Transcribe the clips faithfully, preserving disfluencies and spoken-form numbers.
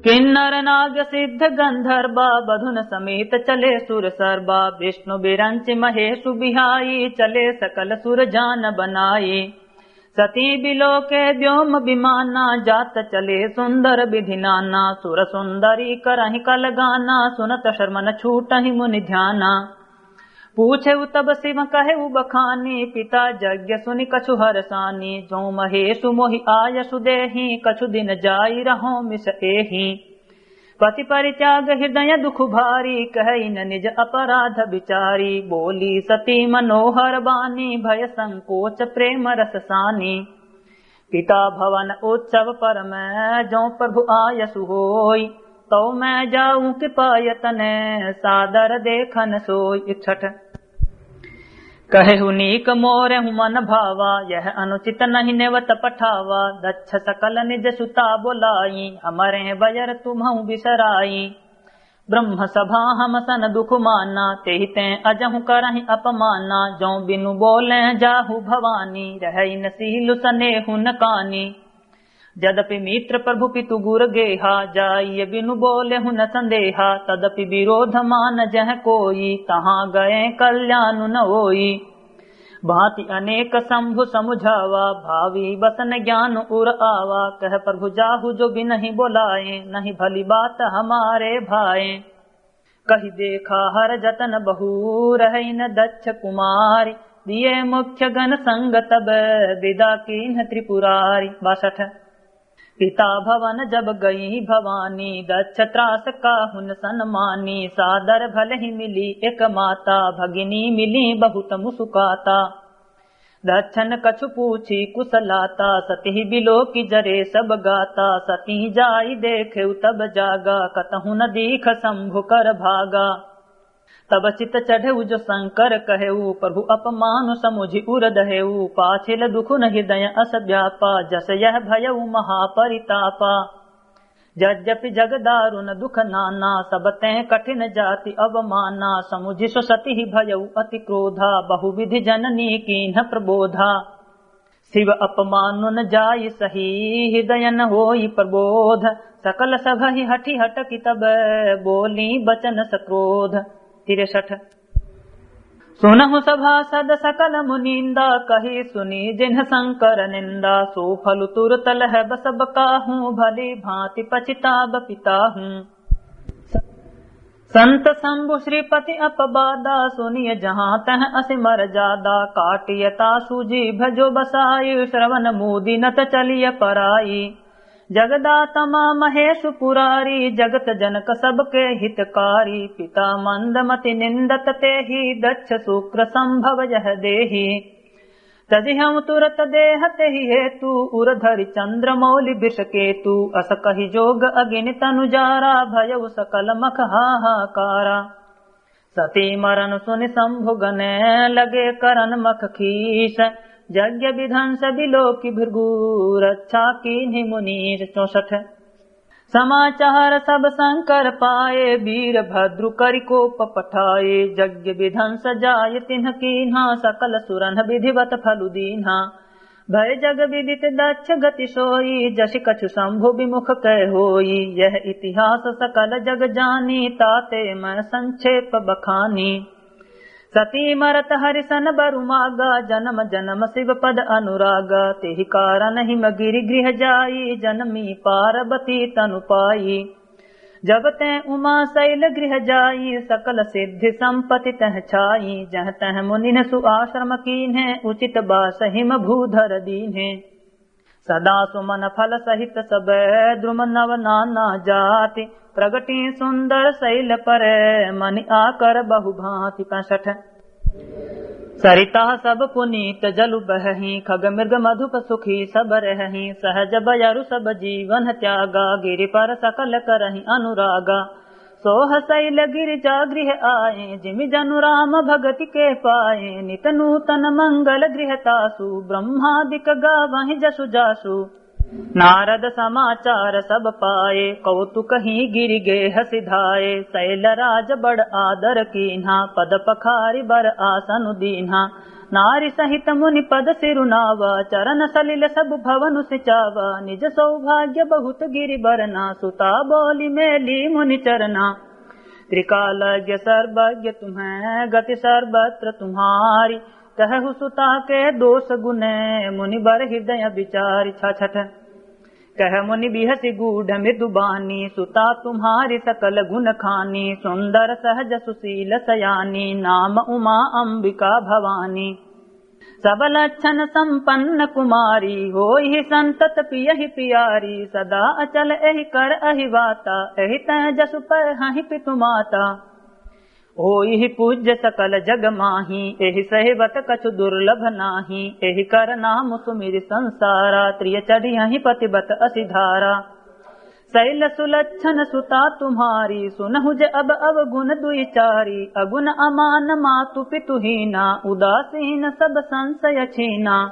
किन्नर नाग सिद्ध गंधर्वा बधुन समेत चले सुर सर्वा। विष्णु विरंच महेशु बिहाई चले सकल सुर जान बनाई। सती बिलोके व्योम विमाना जात चले सुंदर विधि नाना। सुर सुंदरी करहि कल गाना सुनत श्रमन छूटहि मुनि ध्याना। पूछेउ तब शिव कहेउ बखानी पिता यज्ञ सुनि कछु हरसानी। जो महेशु मोहि आयसु देही कछु दिन जाई रहो मिस एही। पति परित्याग हृदय दुख भारी कहइ न निज अपराध विचारी। बोली सती मनोहर बानी भय संकोच प्रेम रस सानी। पिता भवन उत्सव पर मैं जो प्रभु आयसु होई। तौ मैं जाऊं कृपा यतन सादर देखन सोई। इकसठ। कहेहु नीक मोरे हूँ मन भावा यह अनुचित नहीं नेवत पठावा। दक्ष सकल निज सुता बोलाई हमरे बयर तुम्हु बिसराई। ब्रह्म सभा हम सन दुख माना तेहि तें अजहु करहि अपमाना। जो बिनु बोले जाहु भवानी रहइ न सील सनेहु न कानी। जदपि मित्र प्रभु पितु गुर गेहा जाइय बिनु बोलेहु न संदेहा। तदपि विरोध मान जह कोई तहाँ गए कल्याण न होई। भांति अनेक शंभु समुझावा भावी बसन ज्ञान उर आवा। कह प्रभु जाहु जो बिनहि बोलाए नहीं भली बात हमारे भाए। कहि देखा हर जतन बहु रहइ न दक्ष कुमार। दिए मुख्य गण संग तब विदा कीन्ह त्रिपुरारी। बासठ। पिता भवन जब गई भवानी दक्ष त्रास काहुन सनमानी। सादर भलहि मिली एक माता भगिनी मिली बहुत मुसुकाता। दक्षन कछु पूछी कुशलाता सती बिलोकि जरे सब गाता। सती जाई देखेउ तब जागा कतहु न दीख शंभु कर भागा। तब चित चढ़ेउ जो शंकर कहेउ प्रभु अपमान समुझि उर दहेउ। पाछिल दुखु न हृदय अस व्यापा जस यह भयउ महापरितापा। यद्यपि जग दारुण दुख नाना सब तें कठिन जाति अवमाना। समुझि सो सती भयउ अति क्रोधा बहुविधि जननी कीन्ह प्रबोधा। शिव अपमानुन जाय सही हृदय न होई प्रबोध। सकल सभहि हठि हटकि तब बोली बचन सक्रोध। तिरसठ। सुनहु सभासद सकल मुनिंदा कही सुनी जिन्ह शंकर निंदा। सो फल तुरत लहब सब काहू भली भांति पछिताब पिताहू। संत शंभु श्रीपति अपबादा सुनिय जहाँ तह असि मर जादा। काटिय तासु जीभ जो बसाई श्रवण मूदिनत चलिय पराई। जगदातमा महेशु पुरारी जगत जनक सबके हितकारी। पिता मंदमति निंदत तेहि दक्ष शुक्र संभव यह देहि। तजिहउँ तुरत देह तेहि हेतु उर धरि चंद्र मौलि वृष केतु। अस कहि जोग अगिनि तनु जारा भयउ सकल मख हाहाकारा। सती मरन सुनि शंभु गने लगे करन मख खीस। यज्ञ विध्वंस बिलोकि भृगु रक्षा कीन्हि मुनीस। चौसठ। समाचार सब शंकर पाए वीर भद्रु करि कोप पठाए। यज्ञ विध्वंस जाय तिन्ह कीन्हा सकल सुरन विधिवत फलु दीन्हा। भय जग विदित दक्ष गति सोई जसि कछु शंभु विमुख कह होई। यह इतिहास सकल जग जानी ताते मैं संक्षेप बखानी। सती मरत हरिसन बरु मागा जनम जनम शिव पद अनुरागा। तेहि कारण हिम गिरि गृह जाई जनमी पार्वती तनु पाई। जब तें उमा शैल गृह जाई सकल सिद्धि संपत्ति तह छाई। जह तह मुनिन सु आश्रम कीन्हे उचित बास हिम भूधर दीन्हे। सदा सुमन फल सहित सब द्रुम नव नाना जाति। प्रगटी सुंदर शैल पर मनि आकर बहु भांति। पैंसठ। सरिता सब पुनीत जलु बहही खग मृग मधुप सुखी सब रहही। सहज बयरु सब जीवन त्यागा गिरि पर सकल करही अनुरागा। सोह शैल गिरिजा गृह आए जिमि जनु राम भगति के पाए। नित नूतन मंगल गृह तासु ब्रह्मादिक गावहि जसु जासु। नारद समाचार सब पाए, कौतुक ही गिरि गेह सिधाए। शैलराज बड़ आदर कीन्हा, पद पखारि बर आसन दीन्हा। नारि सहित मुनि पद सिरुनावा, चरण सलिल सब भवन सिचावा। निज सौभाग्य बहुत गिरि बरना, सुता बोलि मेली मुनि चरना। त्रिकालज्ञ सर्वज्ञ तुम्हें गति सर्वत्र तुम्हारी, कहु सुता के दोष गुण मुनि बर हृदय विचारी। छाछठ। कह मुनि बिहसि गूढ़ मृदु बानी, सुता तुम्हारी सकल गुण खानी। सुंदर सहज सुशील सयानी, नाम उमा अंबिका भवानी। सब लक्षण संपन्न कुमारी, होइहि संतत पियहि पियारी। सदा अचल एहि करहि वाता, एहि तैं जसु पै हहि पितु माता। होइहि पूज्य सकल जग माही, एहि सेवत कछु दुर्लभ नाही। एहि कर नाम सुमिरि संसारा, त्रिय चढ़ियहि पतिबत असि धारा। शैल सुलक्षण सुता तुम्हारी, सुनहु जे अब अवगुण दुइ चारी। अगुण अमान मातु पितु हीना, उदासीन सब संशय छीना।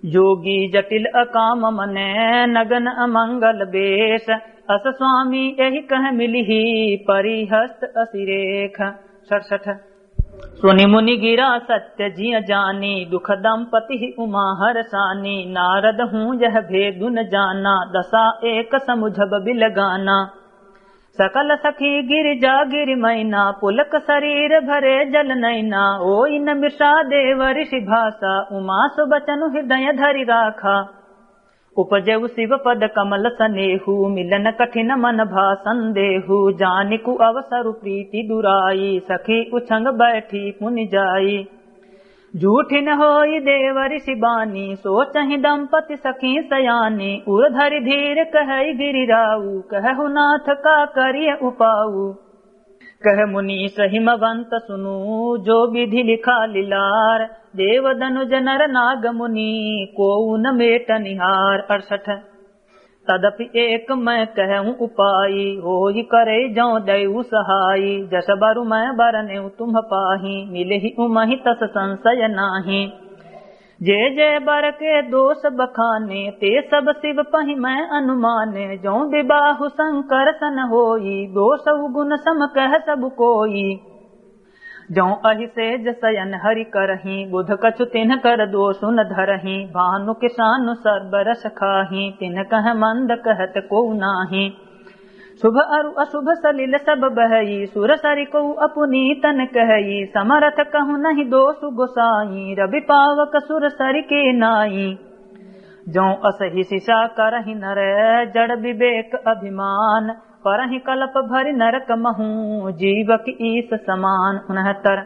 जोगी जटिल अकाम मने, नगन अमंगल बेश। अस स्वामी एहि कह मिलिहि, परिहस्त असि रेख। सड़सठ। सुनि मुनि गिरा सत्य जिय जानी, दुख दंपति ही उमा हरसानी। नारद हूँ यह भेदु न जाना, दसा एक समुझब बिलगाना। सकल सखी गिरि जा गिरि मैना, पुलक शरीर भरे जल नैना। ओइ न मृषा देव ऋषि भाषा, उमा सुबचनु हृदय धरि राखा। उपजउ शिव पद कमल सनेहु, मिलन कठिन मन भा संदेहु। जानिकु अवसरु प्रीति दुराई, सखी उछंग बैठी पुनि जाई। झूठि न होई देव ऋषि बानी, सोचहि दंपति सखी सयानी। उर धरि धीर कहइ गिरिराऊ, कहहु नाथ का करिय उपाऊ। कह मुनीस हिमवंत सुनु, जो विधि लिखा लिलार। देव दनुज नर नाग मुनि, कोउ न मेट निहार। अड़सठ। तदपि एक मैं कहूँ उपाई, होई करे जौं दयु सहाई। जस बरु मैं बरनेउ तुम्ह पाही, मिलही उमहि तस संशय नाही। जे जे बर के दोष बखाने, ते सब शिव पहि मैं अनुमाने। जौं विबाहु संकर्षण होई, दोषउ गुण सम कह सब कोई। जौं अहि सेज सयन हरि करहीं, बुध कछु तिन्ह कर दोषु न धरहीं। भानु किसानु सर्व रस खाहीं, तिन्ह कह मंद कहत कोउ नाहीं। शुभ अरु अशुभ सलिल सब बहई, सुर सरि कोउ अपुनीतन कहई। समरथ कहु नहीं दोषु गोसाई, रवि पावक सुर सरि के नाई। जौं असहि सिसा करहि नर, जड़ विवेक अभिमान। परहि कलप भरि नरक महूँ, जीवक ईस समान। उनहत्तर।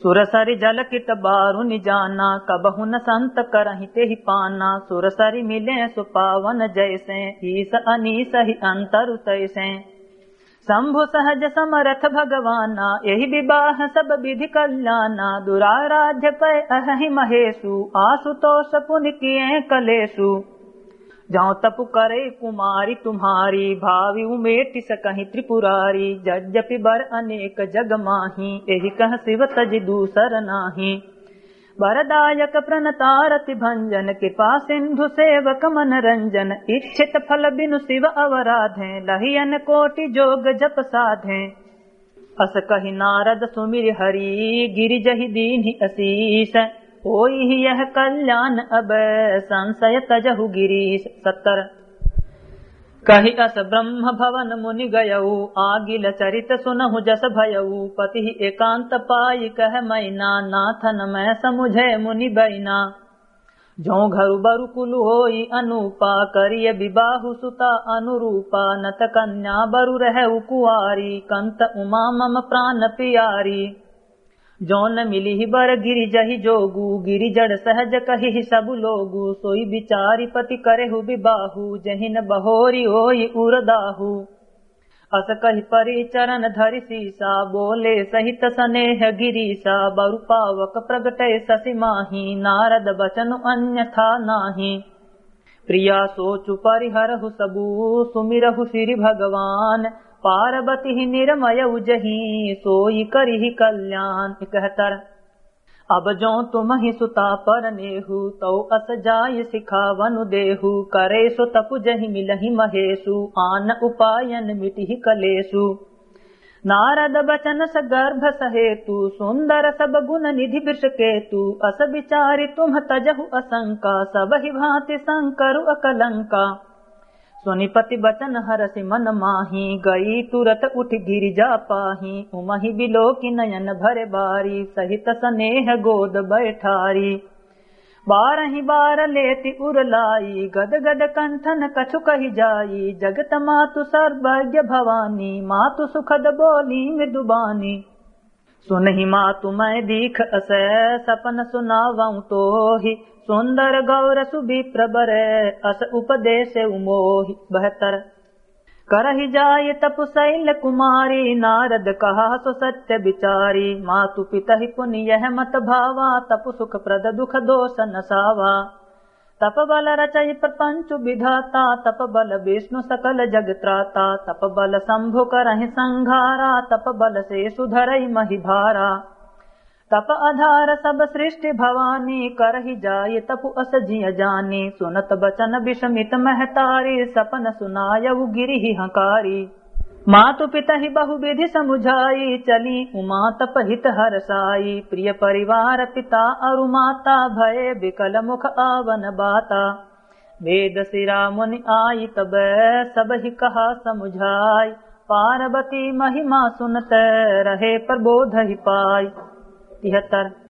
सुर सरि जल कित बारु निजाना, कबहु न संत करहि तेहि पाना। सुर सरि मिले सु पावन जैसे, ईस अनीस ही अंतर तैसे। शंभु सहज समरथ भगवाना, एहि विबाह सब विधि कल्याना। दुराराध्य पै अहहि महेसु, आशुतोष पुनि किए कलेसु। जौं तपु करे कुमारी तुम्हारी, भावि उमेटि सकहीं त्रिपुरारी। यद्यपि बर अनेक जग माही, एहि कह शिव तजि दूसर नाही। वरदायक प्रणतारति भंजन, कृपा सिंधु सेवक मनरंजन। इच्छित फल बिनु शिव अवराधें, लहियन कोटि जोग जप साधें। अस कहि नारद सुमिरि हरि, गिरि जहि दीन्हि असीस। होइहि यह कल्याण अब, संशय तजहु गिरीस। सत्तर। कहि अस ब्रह्म भवन मुनि गयउ, आगिल चरित सुनहु जस भयउ। पतिहि एकांत पाइ कह मैना, नाथन मैं समुझे मुनि बैना। जौं घरु बरु कुलु होई अनूपा, करिय विबाहु सुता अनुरूपा। नत कन्या बरु रहउ कुआरी, कंत उमा मम प्रान पियारी। जौन मिलिहि बर गिरि जहि जोगु, गिरि जड़ सहज कहिहि सबु लोगु। सोई बिचारि पति करेहु विबाहु, जहिन बहोरि होई उरदाहु। अस कहि परि चरण धरि सीसा, बोले सहित सनेह गिरीसा। बरु पावक प्रगटे ससि माही, नारद बचनु अन्यथा नाही। प्रिया सोचु परिहरहु सबु, सुमिरहु सिरि भगवान। पारबतिहि निरमयउ जहीं, सोई करिहि कल्याण। इकहत्तर। अब जो तुमहि सुता परनेहु, तौ अस जाइ सिखावनु देहु। करे सो तपु जहि मिलहि महेसु, आन उपायन मिटिहि कलेसु। नारद बचन सगर्भ सहेतु, सुंदर सब गुण निधि वृषकेतु। अस विचारि तुम्ह तजहु असंका, सबहि भांति संकरु अकलंका। सुनि पति बचन हरषि मन माही, गई तुरत उठि गिरिजा पाही। उमहि बिलोकि नयन भरे बारी, सहित सनेह गोद बैठारी। बारहि बार लेति उर लाई, गद गद कंठन कछु कहि जाई। जगत मातु सर्वज्ञ भवानी, मातु सुखद बोली मृदु बानी। सुनहि मातु मैं दीख अस, सपन सुनावउँ तोहि। सुंदर गौर सुविप्र बर, अस उपदेसेउ मोहि। बहत्तर। करहि जाइ तपु शैल कुमारी, नारद कहा सो सत्य विचारी। मातु पितहि पुनि यह मत भावा, तपु सुखप्रद दुख दोष नसावा। तप बल रचइ प्रपंच विधाता, तप बल विष्णु सकल जग त्राता। तप बल शंभु करहिं संघारा, तप बल सेसु धरइ महि भारा। तप आधार सब सृष्टि भवानी, करहि जाइ तपु अस जिय जानी। सुनत बचन विषमित महतारी, सपन सुनायउ गिरिहि हंकारी। मातु पितहि बहु विधि समुझाई, चली उमा तप हित हरसाई। प्रिय परिवार पिता अरु माता, भये विकल मुख आवन बाता। वेद शिरा मुनि आई तब, सबहि कहा समुझाई। पार्वती महिमा सुनत, रहे प्रबोधहि पाई। तिहत्तर।